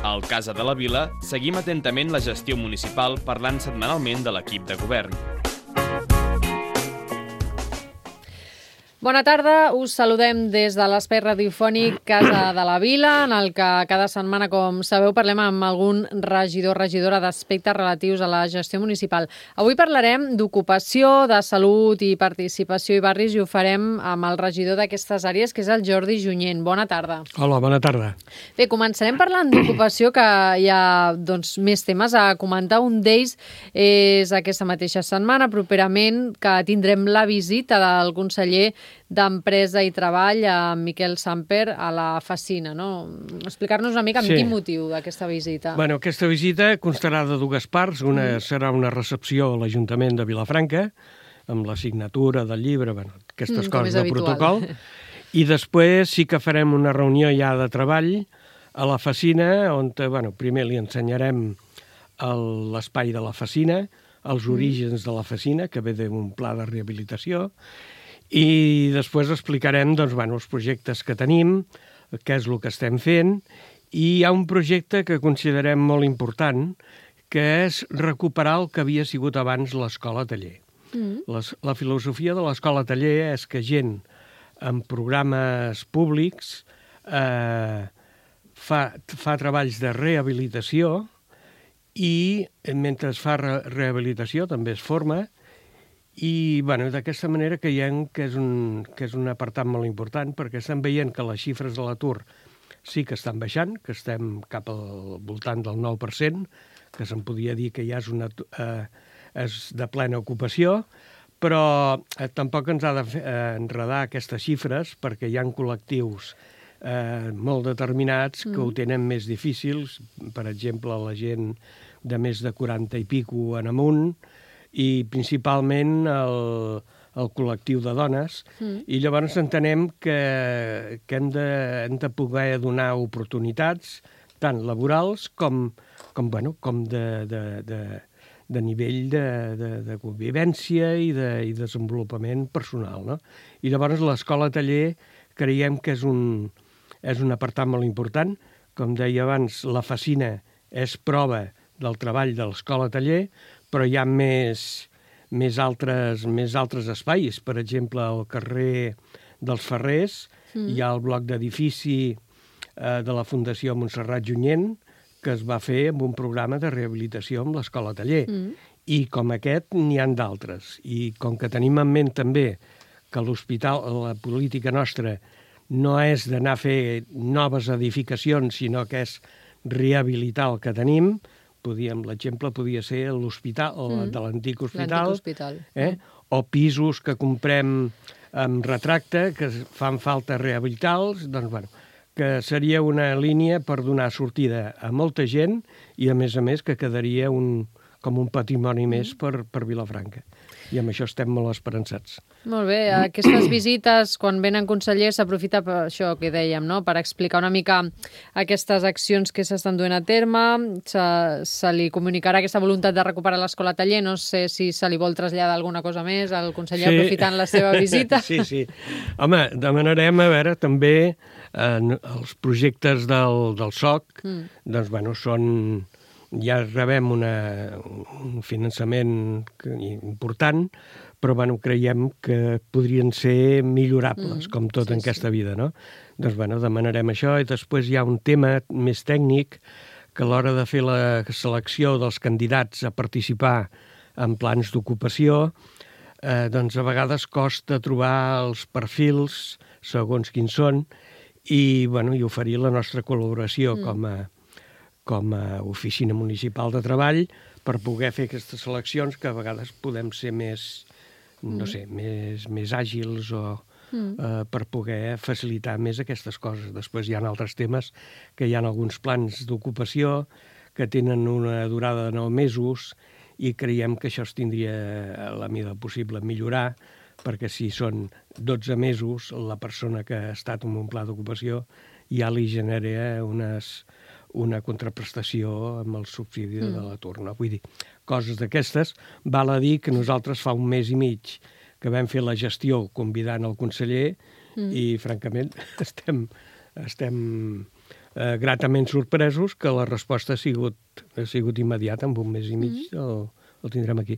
Al Casa de la Vila seguim atentament la gestió municipal parlant setmanalment de l'equip de govern. Bona tarda, us saludem des de l'espai radiofònic Casa de la Vila, en el que cada setmana, com sabeu, parlem amb algun regidor o regidora d'aspectes relatius a la gestió municipal. Avui parlarem d'ocupació, de salut i participació i barris i ho farem amb el regidor d'aquestes àrees, que és el Jordi Junyent. Bona tarda. Hola, bona tarda. Bé, començarem parlant d'ocupació, que hi ha més temes a comentar. Un d'ells és aquesta mateixa setmana, properament, que tindrem la visita del conseller d'Empresa i Treball, Miquel Samper, a la Facina, no? Explicar-nos una mica amb quin motiu d'aquesta visita. Bueno, aquesta visita constarà de dues parts. Una serà una recepció a l'Ajuntament de Vilafranca, amb la signatura del llibre, aquestes coses de protocol. I després sí que farem una reunió ja de treball a la Facina, on primer li ensenyarem l'espai de la Facina, els orígens de la Facina, que ve d'un pla de rehabilitació, i després explicarem els projectes que tenim, què és el que estem fent, i hi ha un projecte que considerem molt important, que és recuperar el que havia sigut abans l'escola taller. La filosofia de l'escola taller és que gent en programes públics fa treballs de rehabilitació i mentre es fa rehabilitació també es forma. I d'aquesta manera creiem que és un apartat molt important, perquè estem veient que les xifres de l'atur sí que estan baixant, que estem cap al voltant del 9%, que se'n podria dir que ja és de plena ocupació, però tampoc ens ha d'enredar aquestes xifres, perquè hi ha col·lectius molt determinats que ho tenen més difícils, per exemple, la gent de més de 40 i pico en amunt, i principalment el col·lectiu de dones, i llavors entenem que hem de poder donar oportunitats tant laborals com de nivell de convivència i desenvolupament personal, no? I llavors l'escola taller creiem que és un apartat molt important. Com deia abans, la Facina és prova del treball de l'escola taller, però hi ha més altres espais. Per exemple, al carrer dels Ferrers hi ha el bloc d'edifici de la Fundació Montserrat Junyent, que es va fer amb un programa de rehabilitació amb l'escola taller. I com aquest n'hi ha d'altres. I com que tenim en ment també que l'hospital, la política nostra, no és d'anar a fer noves edificacions, sinó que és rehabilitar el que tenim. L'exemple podia ser l'hospital, de l'antic hospital, o pisos que comprem amb retracte, que fan falta rehabilitar-los, que seria una línia per donar sortida a molta gent i, a més, que quedaria com un patrimoni més per Vilafranca. I amb això estem molt esperançats. Molt bé. Aquestes visites, quan venen consellers, s'aprofita per això que dèiem, no? Per explicar una mica aquestes accions que s'estan duent a terme. Se li comunicarà aquesta voluntat de recuperar l'escola taller. No sé si se li vol traslladar alguna cosa més al conseller aprofitant la seva visita. Sí. Home, demanarem, a veure, també els projectes del SOC, són... Ja rebem un finançament important, però creiem que podrien ser millorables, com tot en aquesta vida, no? Demanarem això, i després hi ha un tema més tècnic, que a l'hora de fer la selecció dels candidats a participar en plans d'ocupació, a vegades costa trobar els perfils segons quins són i oferir la nostra col·laboració com a oficina municipal de treball per poder fer aquestes seleccions, que a vegades podem ser més àgils o per poder facilitar més aquestes coses. Després hi ha altres temes, que hi ha alguns plans d'ocupació que tenen una durada de 9 mesos i creiem que això es tindria a la mida possible millorar, perquè si són 12 mesos, la persona que ha estat en un pla d'ocupació ja li genera una contraprestació amb el subsidi de l'atur. Vull dir, coses d'aquestes. Val a dir que nosaltres fa 1 mes i mig que vam fer la gestió convidant el conseller i, francament, estem gratament sorpresos que la resposta ha sigut immediata, en un mes i mig el tindrem aquí.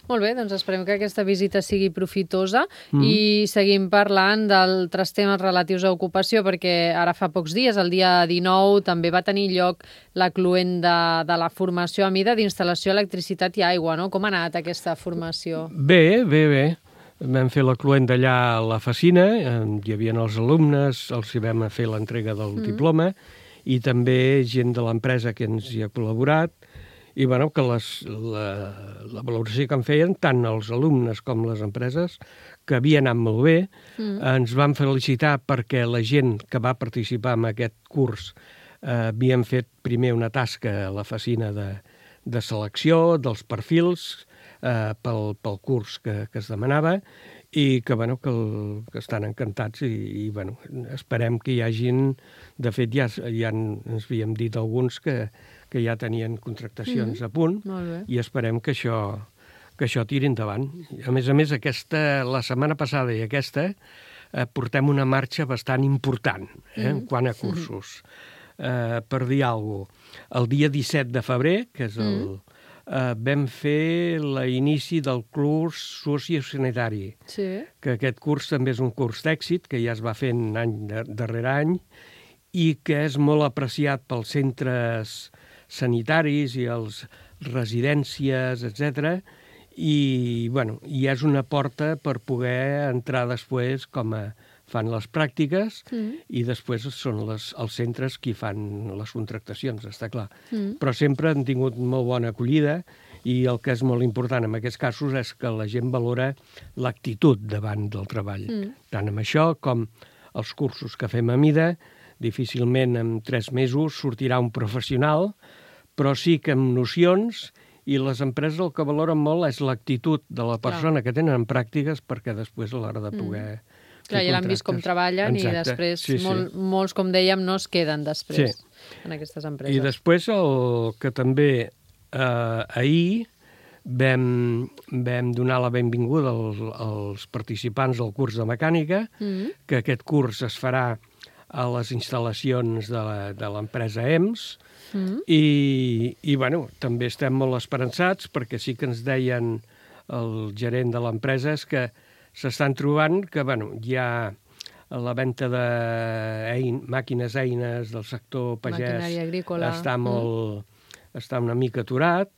Molt bé, doncs esperem que aquesta visita sigui profitosa i seguim parlant d'altres temes relatius a ocupació, perquè ara fa pocs dies, el dia 19, també va tenir lloc la cluent de la formació a mida d'instal·lació, electricitat i aigua, no? Com ha anat aquesta formació? Bé. Vam fer la cluent d'allà a la Facina, hi havia els alumnes, els hi vam fer l'entrega del diploma, i també gent de l'empresa que ens hi ha col·laborat, i bueno, que la valoració que en feien tant els alumnes com les empreses, que havia anat molt bé, ens van felicitar perquè la gent que va participar en aquest curs havien fet primer una tasca a la Facina de selecció dels perfils pel curs que es demanava, i que, bueno, que estan encantats i bueno, esperem que hi hagin... De fet, ja ens havíem dit alguns que ja tenien contractacions a punt, i esperem que això tiri endavant. A més, la setmana passada i aquesta portem una marxa bastant important en quant a cursos. Per dir alguna cosa, el dia 17 de febrer, que és vam fer l'inici del curs sociosanitari, que aquest curs també és un curs d'èxit, que ja es va fent any darrere any, i que és molt apreciat pels centres sanitaris i les residències, etc. I és una porta per poder entrar després com fan les pràctiques i després són els centres qui fan les contractacions, està clar. Però sempre han tingut molt bona acollida i el que és molt important en aquests casos és que la gent valora l'actitud davant del treball. Tant amb això com els cursos que fem a mida, difícilment en 3 mesos sortirà un professional, però sí que amb nocions, i les empreses el que valoren molt és l'actitud de la persona que tenen en pràctiques perquè després a l'hora de poder... Clar, ja l'han vist com treballen. Exacte. I després molts, com dèiem, no es queden després en aquestes empreses. I després el que també ahir vam donar la benvinguda als participants del curs de mecànica, que aquest curs es farà a les instal·lacions de l'empresa EMS, i bueno, també estem molt esperançats perquè sí que ens deien el gerent de l'empresa és que s'estan trobant que hi ha la venda de màquines eines del sector pagès està una mica aturat,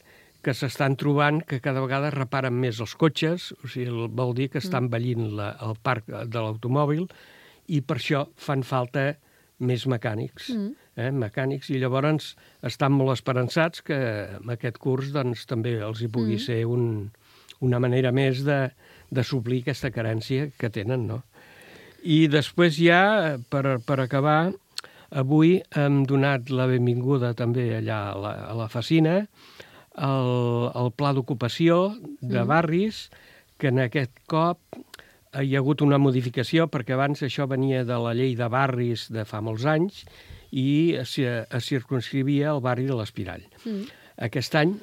que s'estan trobant que cada vegada reparen més els cotxes, o sigui, vol dir que està envellint el parc de l'automòbil, i per això fan falta més mecànics. I llavors estan molt esperançats que amb aquest curs també els hi pugui ser una manera més de suplir aquesta carència que tenen, no? I després ja, per acabar, avui hem donat la benvinguda també allà a la Facina al pla d'ocupació de barris, que en aquest cop hi ha hagut una modificació, perquè abans això venia de la llei de barris de fa molts anys i es circunscrivia al barri de l'Espirall. Aquest any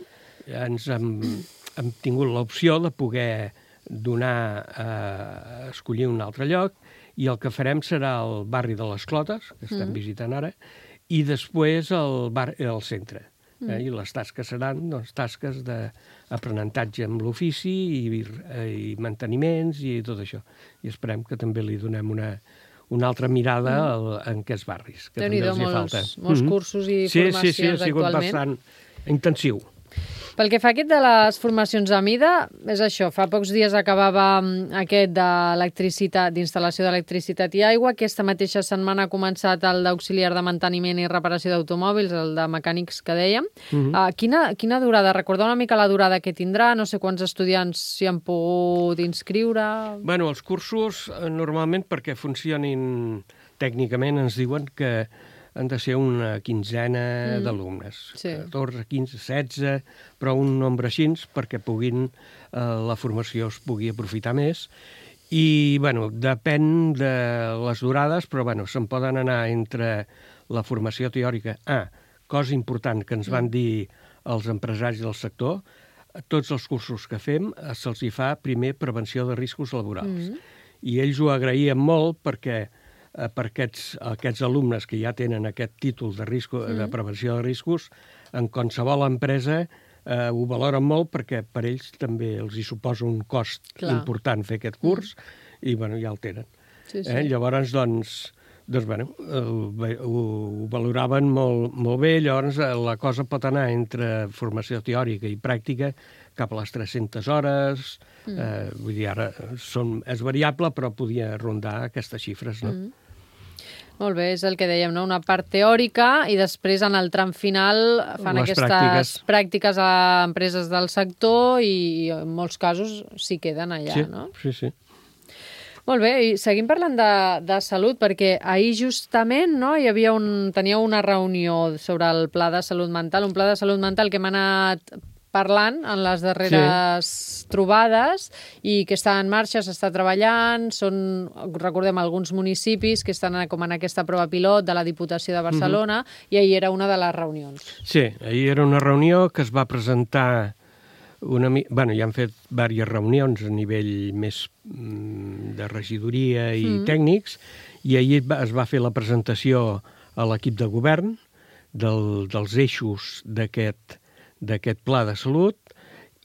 hem tingut l'opció de poder donar a escollir un altre lloc, i el que farem serà el barri de les Clotes, que estem visitant ara, i després el centre. I les tasques seran tasques d'aprenentatge amb l'ofici i manteniments i tot això. I esperem que també li donem una altra mirada en aquests barris, que també els hi falta. Molts cursos i formacions actualment. Sí, ha sigut bastant intensiu. Pel que fa aquest de les formacions a mida, és això, fa pocs dies acabava aquest d'instal·lació d'electricitat i aigua, aquesta mateixa setmana ha començat el d'auxiliar de manteniment i reparació d'automòbils, el de mecànics que dèiem. Quina durada? Recordar una mica la durada que tindrà, no sé quants estudiants s'hi han pogut inscriure... Bueno, els cursos, normalment, perquè funcionin tècnicament, ens diuen que han de ser una quinzena d'alumnes, 14, 15, 16, però un nombre així perquè la formació es pugui aprofitar més. I, bueno, depèn de les durades, però, bueno, se'n poden anar entre la formació teòrica. Cosa important que ens van dir els empresaris del sector, tots els cursos que fem se'ls hi fa primer prevenció de riscos laborals. I ells ho agraïen molt perquè per aquests alumnes que ja tenen aquest títol de prevenció de riscos, en qualsevol empresa ho valoren molt perquè per ells també els hi suposa un cost important fer aquest curs i ja el tenen. Llavors, ho valoraven molt bé, llavors la cosa pot anar entre formació teòrica i pràctica cap a les 300 hores, vull dir, ara és variable, però podia rondar aquestes xifres, no? Molt bé, és el que dèiem, no? Una part teòrica i després en el tram final fan aquestes pràctiques a empreses del sector i en molts casos s'hi queden allà, no? Sí. Molt bé, i seguim parlant de salut, perquè ahir justament teníeu una reunió sobre el Pla de Salut Mental, un pla de salut mental que hem anat parlant en les darreres trobades i que està en marxa, s'està treballant, recordem, alguns municipis que estan com en aquesta prova pilot de la Diputació de Barcelona i ahir era una de les reunions. Sí, ahir era una reunió que es va presentar ja han fet diverses reunions a nivell més de regidoria i tècnics i ahir es va fer la presentació a l'equip de govern dels eixos d'aquest pla de salut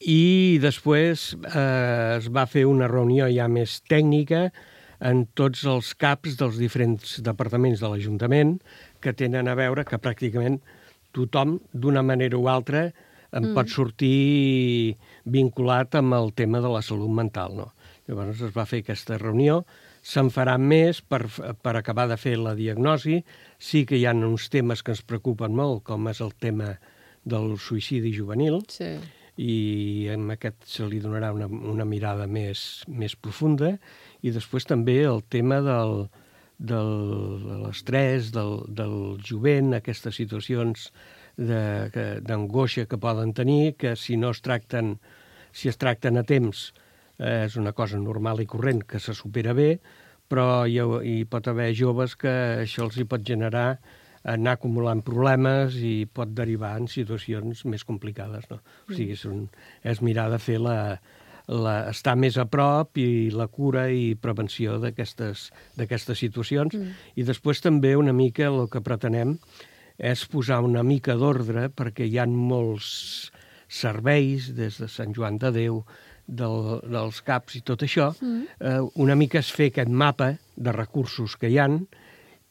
i després es va fer una reunió ja més tècnica en tots els caps dels diferents departaments de l'Ajuntament que tenen a veure que pràcticament tothom, d'una manera o altra, en pot sortir vinculat amb el tema de la salut mental, no? Llavors es va fer aquesta reunió, se'n farà més per acabar de fer la diagnosi. Sí que hi ha uns temes que ens preocupen molt, com és el tema del suïcidi juvenil, i amb aquest se li donarà una mirada més profunda, i després també el tema de l'estrès, del jovent, aquestes situacions d'angoixa que poden tenir, que si es tracten a temps és una cosa normal i corrent que se supera bé, però hi pot haver joves que això els hi pot generar anar acumulant problemes i pot derivar en situacions més complicades, no? O sigui, és mirar de fer estar més a prop i la cura i prevenció d'aquestes situacions. I després també una mica el que pretenem és posar una mica d'ordre perquè hi ha molts serveis, des de Sant Joan de Déu, dels CAPs i tot això, una mica és fer aquest mapa de recursos que hi ha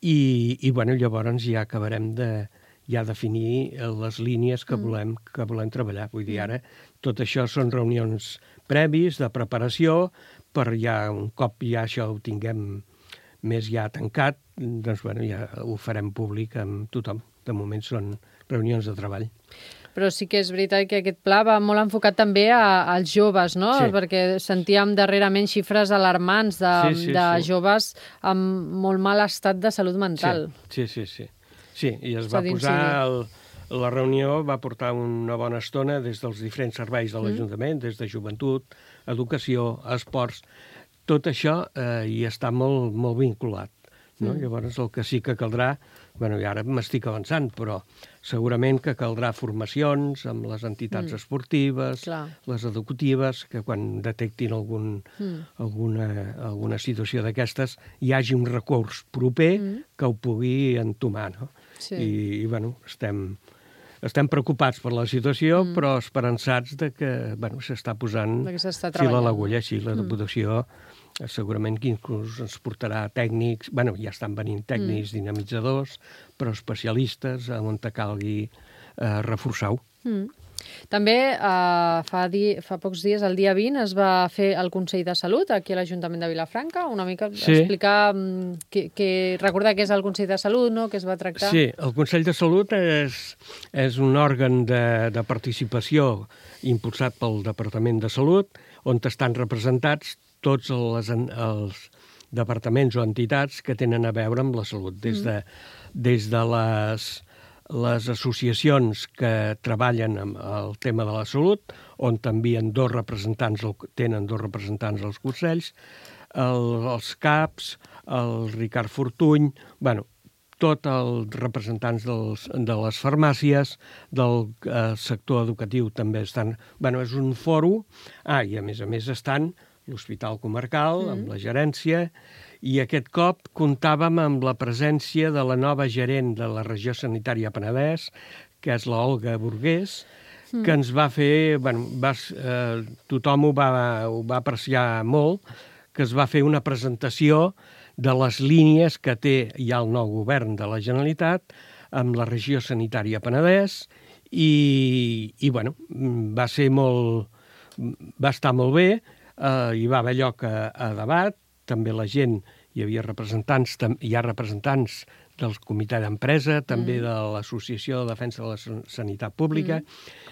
i llavors ja acabarem de definir les línies que volem treballar. Vull dir, ara tot això són reunions previs de preparació per ja un cop ja això ho tinguem més ja tancat, doncs ja ho farem públic amb tothom. De moment són reunions de treball. Però sí que és veritat que aquest pla va molt enfocat també als joves, no? Sí. Perquè sentíem darrerament xifres alarmants de joves amb molt mal estat de salut mental. Sí, i es va posar... La reunió va portar una bona estona des dels diferents serveis de l'Ajuntament, des de joventut, educació, esports. Tot això hi està molt, molt vinculat. No? Llavors el que sí que caldrà, i ara m'estic avançant, però segurament que caldrà formacions amb les entitats esportives, les educatives, que quan detectin alguna situació d'aquestes hi hagi un recurs proper que ho pugui entomar. No? I estem preocupats per la situació, però esperançats que s'està posant fil a l'agulla. La Diputació segurament que inclús ens portarà tècnics, ja estan venint tècnics dinamitzadors, però especialistes on calgui reforçar-ho. També fa pocs dies, el dia 20, es va fer el Consell de Salut aquí a l'Ajuntament de Vilafranca, una mica explicar, recordar què és el Consell de Salut, no?, què es va tractar. Sí, el Consell de Salut és un òrgan de participació impulsat pel Departament de Salut, on estan representats tots els departaments o entitats que tenen a veure amb la salut, des de les associacions que treballen amb el tema de la salut, on tenen dos representants als consells, els CAPs, el Ricard Fortuny, tots els representants de les farmàcies, del sector educatiu també estan... És un fòrum, i a més estan l'Hospital Comarcal, amb la gerència, I aquest cop comptàvem amb la presència de la nova gerent de la regió sanitària Penedès, que és la Olga Burgués, que ens va fer... tothom ho va apreciar molt, que es va fer una presentació de les línies que té ja el nou govern de la Generalitat amb la regió sanitària Penedès i va estar molt bé, hi va haver lloc a debat, també la gent, hi ha representants del comitè d'empresa, també de l'Associació de Defensa de la Sanitat Pública,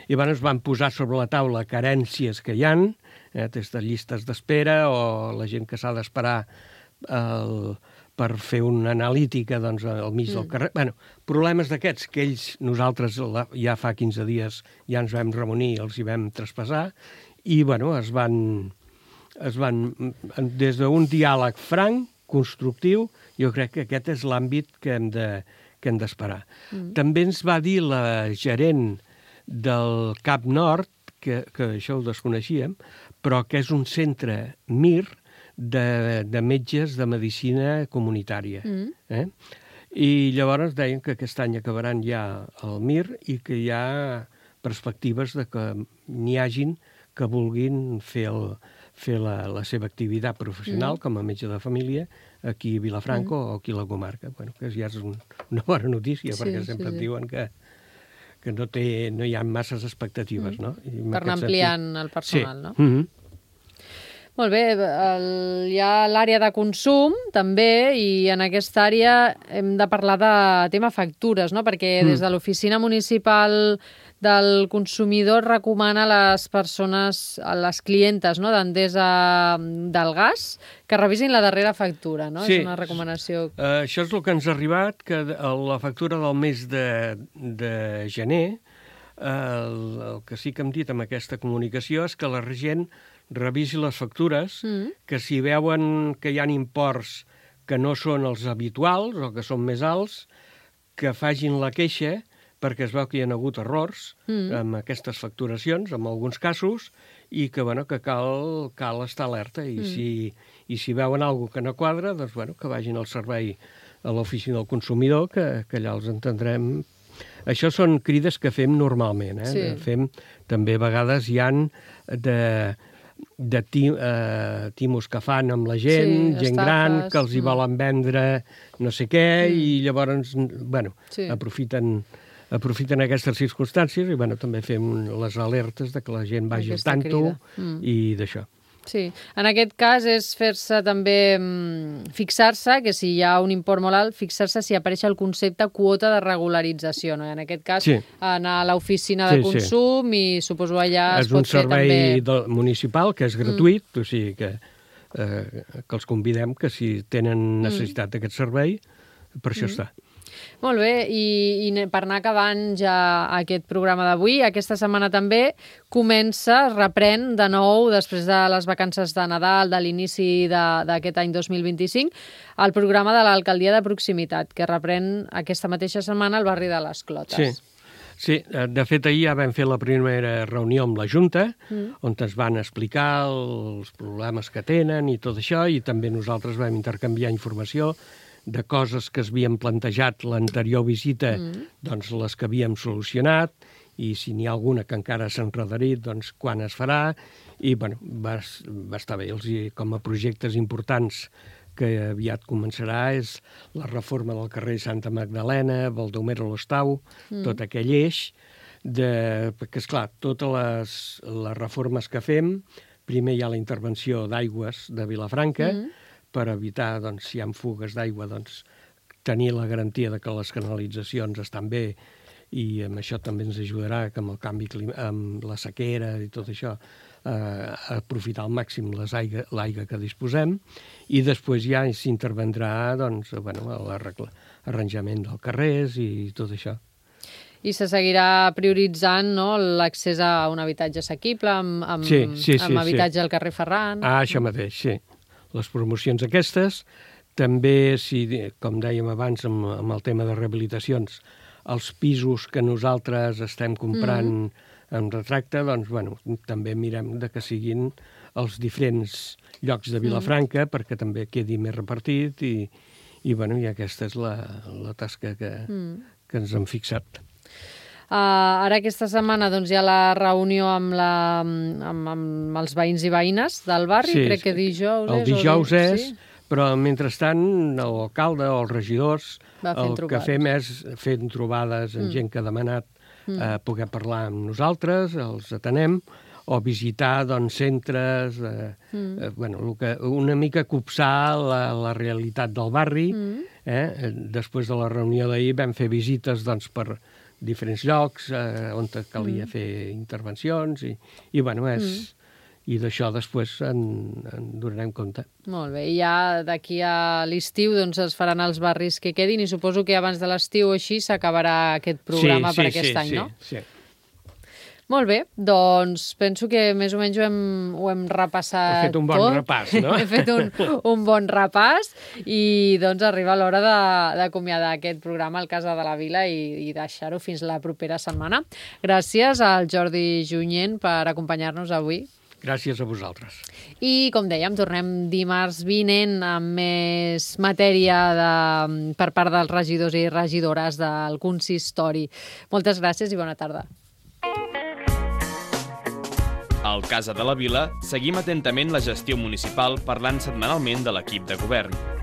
i es van posar sobre la taula carències que hi ha, des de llistes d'espera o la gent que s'ha d'esperar per fer una analítica al mig del carrer. Problemes d'aquests que nosaltres ja fa 15 dies ja ens vam reunir i els hi vam traspassar i es van des d'un diàleg franc, constructiu, jo crec que aquest és l'àmbit que hem d'esperar. També ens va dir la gerent del Cap Nord, que això ho desconeixíem, però que és un centre MIR de metges de medicina comunitària. I llavors deien que aquest any acabaran ja el MIR i que hi ha perspectives de que n'hi hagin que vulguin fer la seva activitat professional com a metge de família aquí a Vilafranca o aquí a la comarca. Que ja és una bona notícia, perquè sempre et diuen que no hi ha masses expectatives, no? Per anar ampliant el personal, no? Sí. Molt bé, hi ha l'àrea de consum, també, i en aquesta àrea hem de parlar de tema factures, no? Perquè des de l'Oficina Municipal del Consumidor recomana a les persones, a les clientes d'Endesa del gas, que revisin la darrera factura, no? Sí. És una recomanació. Això és el que ens ha arribat, que la factura del mes de gener, el que sí que hem dit amb aquesta comunicació és que la gent revisi les factures, que si veuen que hi ha imports que no són els habituals o que són més alts, que facin la queixa, perquè es veu que hi ha hagut errors amb aquestes facturacions, en alguns casos, i que cal estar alerta. I si veuen alguna cosa que no quadra, doncs que vagin al servei a l'oficina del consumidor, que allà els entendrem. Això són crides que fem normalment. Sí. Fem, també a vegades hi ha de timos que fan amb la gent, gent gran, que els hi volen vendre no sé què, i llavors, aprofiten aquestes circumstàncies i també fem les alertes de que la gent vagi al tanto i d'això. Sí, en aquest cas és fer-se també, fixar-se, que si hi ha un import molt alt, fixar-se si apareix el concepte quota de regularització, no? En aquest cas, anar a l'oficina de consum i suposo allà es pot fer també... És un servei municipal que és gratuït, o sigui que els convidem que si tenen necessitat d'aquest servei, per això està. Molt bé, i per anar acabant ja aquest programa d'avui, aquesta setmana també reprèn de nou, després de les vacances de Nadal, de l'inici d'aquest any 2025, el programa de l'Alcaldia de Proximitat, que reprèn aquesta mateixa setmana al barri de les Clotes. Sí, de fet ahir ja vam fer la primera reunió amb la Junta, on ens van explicar els problemes que tenen i tot això, i també nosaltres vam intercanviar informació de coses que s'havien plantejat l'anterior visita, doncs les que havíem solucionat, i si n'hi ha alguna que encara s'ha enredarit, doncs quan es farà, i va estar bé. Com a projectes importants que aviat començarà és la reforma del carrer Santa Magdalena, Baldomero Lostau, tot aquell eix, perquè, esclar, totes les reformes que fem, primer hi ha la intervenció d'aigües de Vilafranca, per evitar, si hi ha fugues d'aigua, tenir la garantia de que les canalitzacions estan bé, i amb això també ens ajudarà que amb el canvi amb la sequera i tot això, a aprofitar al màxim l'aigua que disposem, i després ja s'intervendrà l'arranjament dels carrers i tot això. I se seguirà prioritzant l'accés a un habitatge assequible, amb habitatge al carrer Ferran. Això mateix, sí. Les promocions aquestes, també, com dèiem abans amb el tema de rehabilitacions, els pisos que nosaltres estem comprant en retracte, també mirem que siguin als diferents llocs de Vilafranca perquè també quedi més repartit i aquesta és la tasca que ens hem fixat. Ara aquesta setmana doncs, hi ha la reunió amb els veïns i veïnes del barri, crec que dijous és. El dijous és, però mentrestant l'alcalde o els regidors que fem és fent trobades amb gent que ha demanat poder parlar amb nosaltres, els atenem, o visitar centres, una mica copsar la realitat del barri. Després de la reunió d'ahir vam fer visites per diferents llocs on calia fer intervencions i d'això després en donarem compte. Molt bé, i ja d'aquí a l'estiu es faran els barris que quedin i suposo que abans de l'estiu o així s'acabarà aquest programa per aquest any, no? Sí. Molt bé, doncs penso que més o menys ho hem repassat tot. He fet un bon repàs, no? He fet un bon repàs i doncs arriba l'hora d'acomiadar aquest programa al Casa de la Vila i deixar-ho fins la propera setmana. Gràcies al Jordi Junyent per acompanyar-nos avui. Gràcies a vosaltres. I, com dèiem, tornem dimarts vinent amb més matèria per part dels regidors i regidores del consistori. Moltes gràcies i bona tarda. Al Casa de la Vila seguim atentament la gestió municipal parlant setmanalment de l'equip de govern.